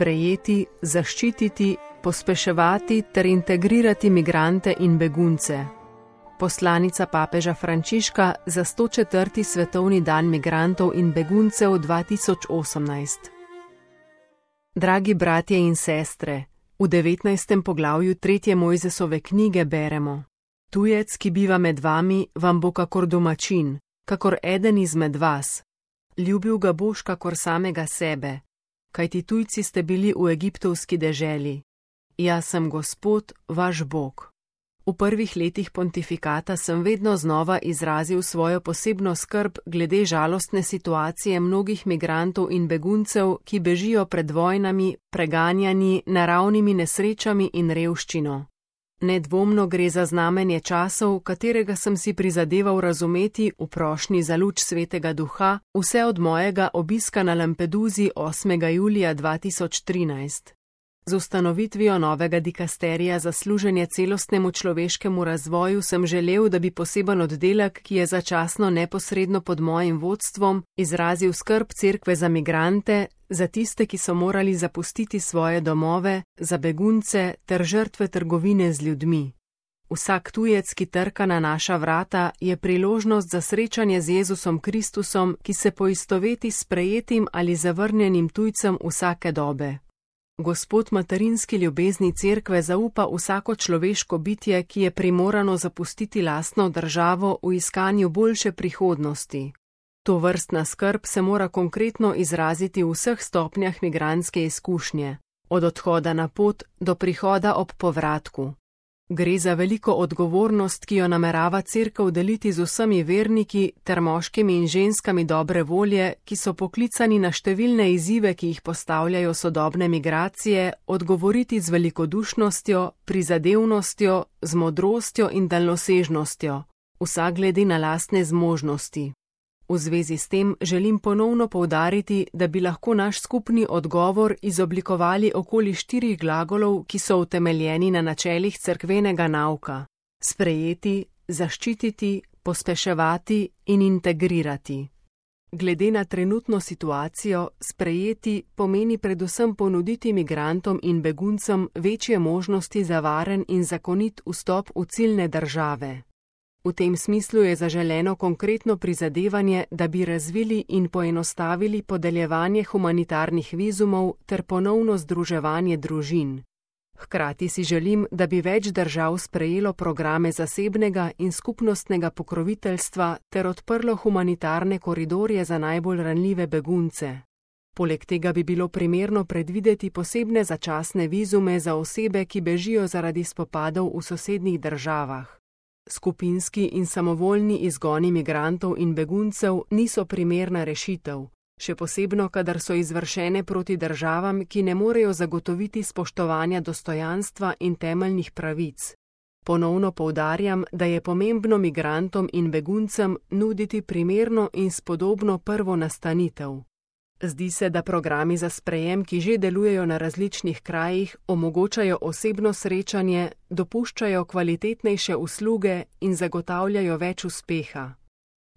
sprejeti, zaščititi, pospeševati ter integrirati migrante in begunce. Poslanica papeža Frančiška za 104. svetovni dan migrantov in beguncev 2018. Dragi bratje in sestre, v 19. poglavju 3. Mojzesove knjige beremo: Tujec, ki biva med vami, vam bo kakor domačin, kakor eden izmed vas. Ljubil ga boš kakor samega sebe, kajti tujci ste bili v egiptovski deželi. Jaz sem Gospod, vaš Bog. V prvih letih pontifikata sem vedno znova izrazil svojo posebno skrb glede žalostne situacije mnogih migrantov in beguncev, ki bežijo pred vojnami, preganjanji, naravnimi nesrečami in revščino. Nedvomno gre za znamenje časov, katerega sem si prizadeval razumeti v prošnji za luč Svetega Duha, vse od mojega obiska na Lampeduzi 8. julija 2013. Z ustanovitvijo novega dikasterija za služenje celostnemu človeškemu razvoju sem želel, da bi poseben oddelek, ki je začasno neposredno pod mojim vodstvom, izrazil skrb cerkve za migrante, za tiste, ki so morali zapustiti svoje domove, za begunce ter žrtve trgovine z ljudmi. Vsak tujec, ki trka na naša vrata, je priložnost za srečanje z Jezusom Kristusom, ki se poistoveti s sprejetim ali zavrnjenim tujcem vsake dobe. Gospod materinski ljubezni cerkve zaupa vsako človeško bitje, ki je primorano zapustiti lastno državo v iskanju boljše prihodnosti. Tovrstna skrb se mora konkretno izraziti v vseh stopnjah migrantske izkušnje, od odhoda na pot do prihoda ob povratku. Gre za veliko odgovornost, ki jo namerava cerkev deliti z vsemi verniki ter moškimi in ženskami dobre volje, ki so poklicani na številne izzive, ki jih postavljajo sodobne migracije, odgovoriti z velikodušnostjo, prizadevnostjo, z modrostjo in daljnosežnostjo, vsak glede na lastne zmožnosti. V zvezi s tem želim ponovno poudariti, da bi lahko naš skupni odgovor izoblikovali okoli 4 glagolov, ki so utemeljeni na načelih cerkvenega nauka: sprejeti, zaščititi, pospeševati in integrirati. Glede na trenutno situacijo, sprejeti pomeni predvsem ponuditi migrantom in beguncem večje možnosti za varen in zakonit vstop v ciljne države. V tem smislu je zaželeno konkretno prizadevanje, da bi razvili in poenostavili podeljevanje humanitarnih vizumov ter ponovno združevanje družin. Hkrati si želim, da bi več držav sprejelo programe zasebnega in skupnostnega pokroviteljstva ter odprlo humanitarne koridorje za najbolj ranljive begunce. Poleg tega bi bilo primerno predvideti posebne začasne vizume za osebe, ki bežijo zaradi spopadov v sosednjih državah. Skupinski in samovoljni izgoni migrantov in beguncev niso primerna rešitev, še posebno, kadar so izvršene proti državam, ki ne morejo zagotoviti spoštovanja dostojanstva in temeljnih pravic. Ponovno poudarjam, da je pomembno migrantom in beguncem nuditi primerno in spodobno prvo nastanitev. Zdi se, da programi za sprejem, ki že delujejo na različnih krajih, omogočajo osebno srečanje, dopuščajo kvalitetnejše usluge in zagotavljajo več uspeha.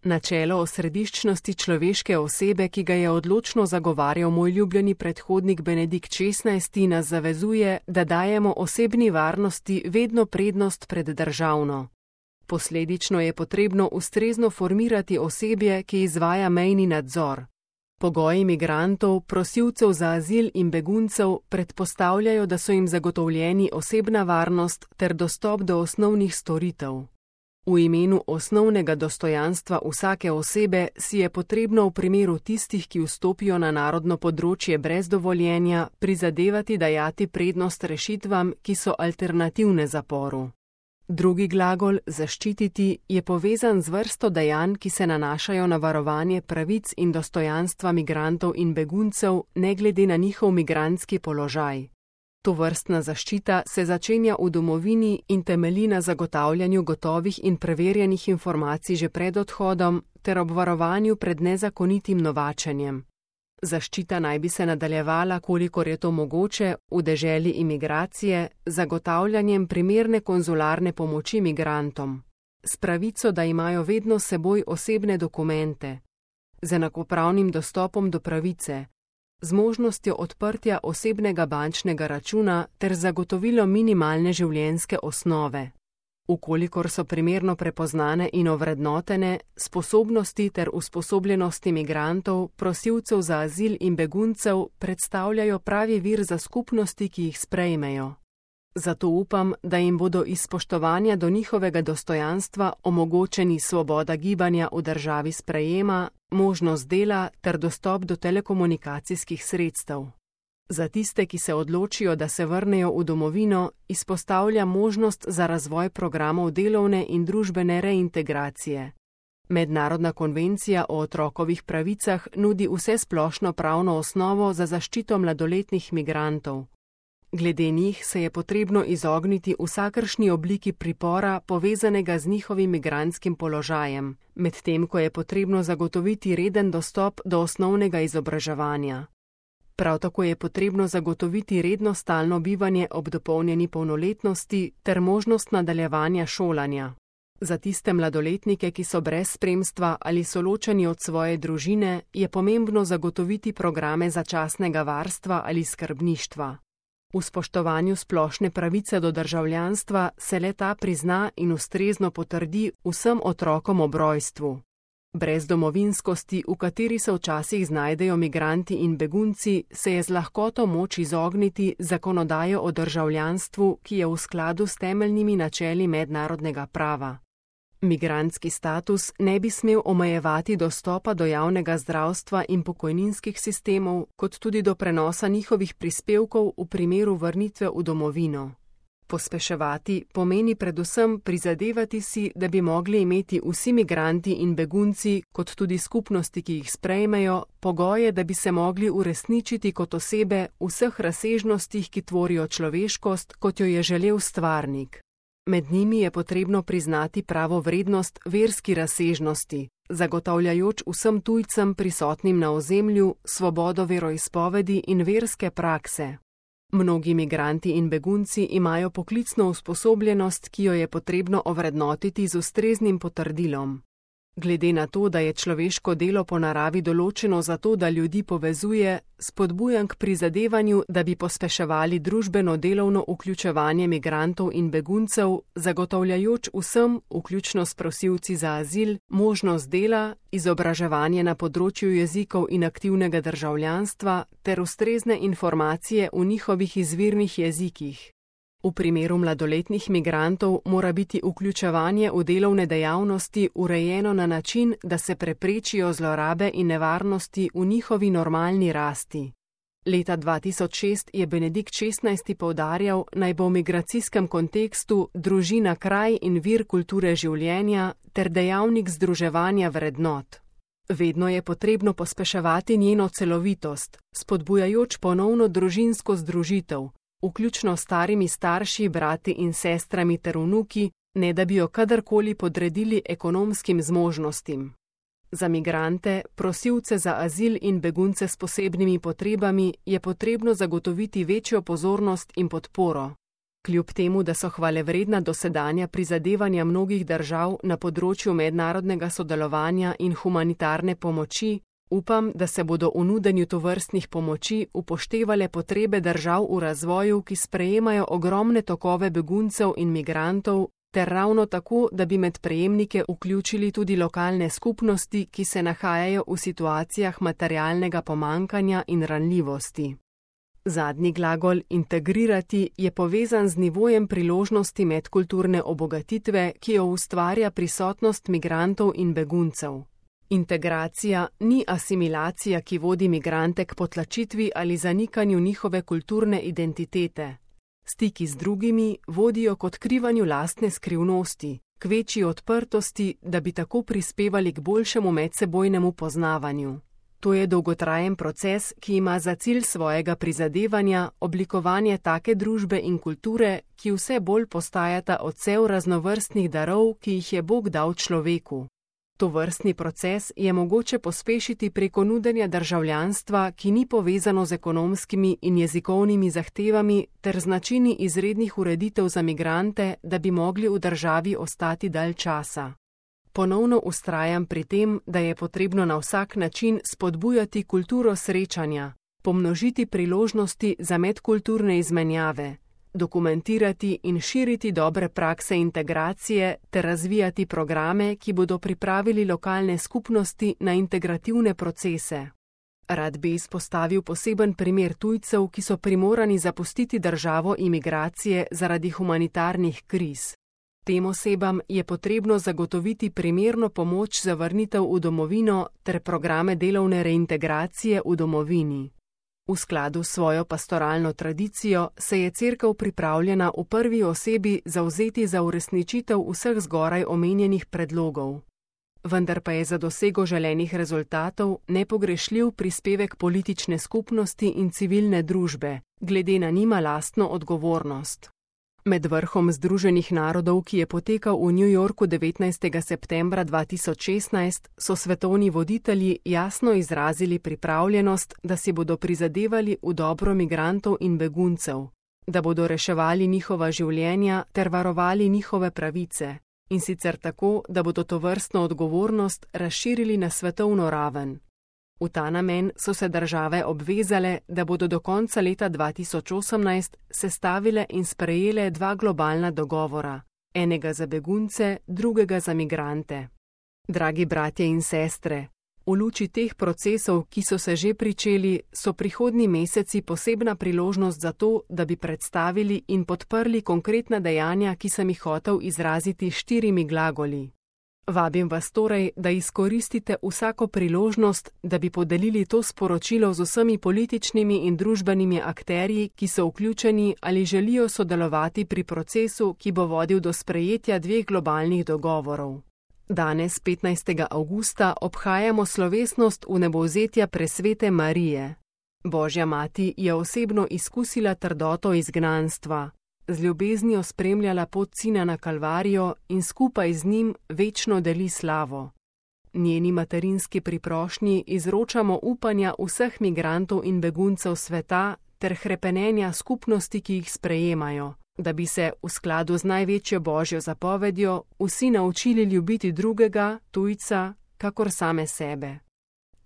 Načelo osrediščnosti človeške osebe, ki ga je odločno zagovarjal moj ljubljeni predhodnik Benedikt XVI, nas zavezuje, da dajemo osebni varnosti vedno prednost pred državno. Posledično je potrebno ustrezno formirati osebje, ki izvaja mejni nadzor. Pogoji migrantov, prosilcev za azil in beguncev predpostavljajo, da so jim zagotovljeni osebna varnost ter dostop do osnovnih storitev. V imenu osnovnega dostojanstva vsake osebe si je potrebno v primeru tistih, ki vstopijo na narodno področje brez dovoljenja, prizadevati dajati prednost rešitvam, ki so alternativne zaporu. Drugi glagol, zaščititi, je povezan z vrsto dejanj, ki se nanašajo na varovanje pravic in dostojanstva migrantov in beguncev, ne glede na njihov migrantski položaj. Tovrstna zaščita se začenja v domovini in temelji na zagotavljanju gotovih in preverjenih informacij že pred odhodom ter obvarovanju pred nezakonitim novačenjem. Zaščita naj bi se nadaljevala, kolikor je to mogoče, v deželi imigracije, zagotavljanjem primerne konzularne pomoči migrantom, s pravico, da imajo vedno s seboj osebne dokumente, z enakopravnim dostopom do pravice, z možnostjo odprtja osebnega bančnega računa ter zagotovilo minimalne življenjske osnove. Ukolikor so primerno prepoznane in ovrednotene, sposobnosti ter usposobljenosti migrantov, prosilcev za azil in beguncev predstavljajo pravi vir za skupnosti, ki jih sprejmejo. Zato upam, da jim bodo iz spoštovanja do njihovega dostojanstva omogočeni svoboda gibanja v državi sprejema, možnost dela ter dostop do telekomunikacijskih sredstev. Za tiste, ki se odločijo, da se vrnejo v domovino, izpostavlja možnost za razvoj programov delovne in družbene reintegracije. Mednarodna konvencija o otrokovih pravicah nudi vsesplošno pravno osnovo za zaščito mladoletnih migrantov. Glede njih se je potrebno izogniti vsakršni obliki pripora povezanega z njihovim migrantskim položajem, medtem ko je potrebno zagotoviti reden dostop do osnovnega izobraževanja. Prav tako je potrebno zagotoviti redno stalno bivanje ob dopolnjeni polnoletnosti ter možnost nadaljevanja šolanja. Za tiste mladoletnike, ki so brez spremstva ali so ločeni od svoje družine, je pomembno zagotoviti programe začasnega varstva ali skrbništva. V spoštovanju splošne pravice do državljanstva se le-ta prizna in ustrezno potrdi vsem otrokom ob rojstvu. Brez domovinskosti, v kateri se včasih znajdejo migranti in begunci, se je z lahkoto moč izogniti zakonodajo o državljanstvu, ki je v skladu s temeljnimi načeli mednarodnega prava. Migrantski status ne bi smel omejevati dostopa do javnega zdravstva in pokojninskih sistemov, kot tudi do prenosa njihovih prispevkov v primeru vrnitve v domovino. Pospeševati pomeni predvsem prizadevati si, da bi mogli imeti vsi migranti in begunci, kot tudi skupnosti, ki jih sprejmejo, pogoje, da bi se mogli uresničiti kot osebe v vseh razsežnostih, ki tvorijo človeškost, kot jo je želel stvarnik. Med njimi je potrebno priznati pravo vrednost verski razsežnosti, zagotavljajoč vsem tujcem prisotnim na ozemlju svobodo veroizpovedi in verske prakse. Mnogi migranti in begunci imajo poklicno usposobljenost, ki jo je potrebno ovrednotiti z ustreznim potrdilom. Glede na to, da je človeško delo po naravi določeno zato, da ljudi povezuje, spodbujam k prizadevanju, da bi pospeševali družbeno-delovno vključevanje migrantov in beguncev, zagotavljajoč vsem, vključno s prosilci za azil, možnost dela, izobraževanje na področju jezikov in aktivnega državljanstva ter ustrezne informacije v njihovih izvirnih jezikih. V primeru mladoletnih migrantov mora biti vključevanje v delovne dejavnosti urejeno na način, da se preprečijo zlorabe in nevarnosti v njihovi normalni rasti. Leta 2006 je Benedikt XVI. Poudarjal, naj bo v migracijskem kontekstu družina kraj in vir kulture življenja ter dejavnik združevanja vrednot. Vedno je potrebno pospeševati njeno celovitost, spodbujajoč ponovno družinsko združitev, vključno starimi starši, brati in sestrami ter vnuki, ne da bi jo kadarkoli podredili ekonomskim zmožnostim. Za migrante, prosilce za azil in begunce s posebnimi potrebami je potrebno zagotoviti večjo pozornost in podporo. Kljub temu, da so hvalevredna dosedanja prizadevanja mnogih držav na področju mednarodnega sodelovanja in humanitarne pomoči, upam, da se bodo v nudenju tovrstnih pomoči upoštevale potrebe držav v razvoju, ki sprejemajo ogromne tokove beguncev in migrantov, ter ravno tako, da bi med prejemnike vključili tudi lokalne skupnosti, ki se nahajajo v situacijah materialnega pomankanja in ranljivosti. Zadnji glagol integrirati je povezan z nivojem priložnosti medkulturne obogatitve, ki jo ustvarja prisotnost migrantov in beguncev. Integracija ni asimilacija, ki vodi migrante k potlačitvi ali zanikanju njihove kulturne identitete. Stiki z drugimi vodijo k odkrivanju lastne skrivnosti, k večji odprtosti, da bi tako prispevali k boljšemu medsebojnemu poznavanju. To je dolgotrajen proces, ki ima za cilj svojega prizadevanja oblikovanje take družbe in kulture, ki vse bolj postajata odsev raznovrstnih darov, ki jih je Bog dal človeku. Tovrstni proces je mogoče pospešiti preko nudenja državljanstva, ki ni povezano z ekonomskimi in jezikovnimi zahtevami ter z načini izrednih ureditev za migrante, da bi mogli v državi ostati dalj časa. Ponovno vztrajam pri tem, da je potrebno na vsak način spodbujati kulturo srečanja, pomnožiti priložnosti za medkulturne izmenjave, dokumentirati in širiti dobre prakse integracije ter razvijati programe, ki bodo pripravili lokalne skupnosti na integrativne procese. Rad bi izpostavil poseben primer tujcev, ki so primorani zapustiti državo imigracije zaradi humanitarnih kriz. Tem osebam je potrebno zagotoviti primerno pomoč za vrnitev v domovino ter programe delovne reintegracije v domovini. V skladu s svojo pastoralno tradicijo se je Cerkev pripravljena v prvi osebi zavzeti za uresničitev vseh zgoraj omenjenih predlogov. Vendar pa je za dosego želenih rezultatov nepogrešljiv prispevek politične skupnosti in civilne družbe, glede na njima lastno odgovornost. Med vrhom Združenih narodov, ki je potekal v New Yorku 19. septembra 2016, so svetovni voditelji jasno izrazili pripravljenost, da si bodo prizadevali v dobro migrantov in beguncev, da bodo reševali njihova življenja ter varovali njihove pravice, in sicer tako, da bodo tovrstno odgovornost razširili na svetovno raven. V ta namen so se države obvezale, da bodo do konca leta 2018 sestavile in sprejele 2 globalna dogovora, enega za begunce, drugega za migrante. Dragi bratje in sestre, v luči teh procesov, ki so se že pričeli, so prihodnji meseci posebna priložnost za to, da bi predstavili in podprli konkretna dejanja, ki sem jih hotel izraziti s 4 glagoli. Vabim vas torej, da izkoristite vsako priložnost, da bi podelili to sporočilo z vsemi političnimi in družbenimi akterji, ki so vključeni ali želijo sodelovati pri procesu, ki bo vodil do sprejetja 2 globalnih dogovorov. Danes, 15. avgusta, obhajamo slovesnost vnebovzetja presvete Marije. Božja mati je osebno izkusila trdoto izgnanstva, z ljubeznijo spremljala pot Sina na Kalvarijo in skupaj z njim večno deli slavo. Njeni materinski priprošnji izročamo upanja vseh migrantov in beguncev sveta ter hrepenenja skupnosti, ki jih sprejemajo, da bi se v skladu z največjo Božjo zapovedjo vsi naučili ljubiti drugega, tujca, kakor same sebe.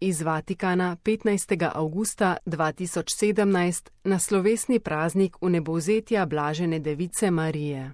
Iz Vatikana 15. avgusta 2017 na slovesni praznik vnebovzetja Blažene device Marije.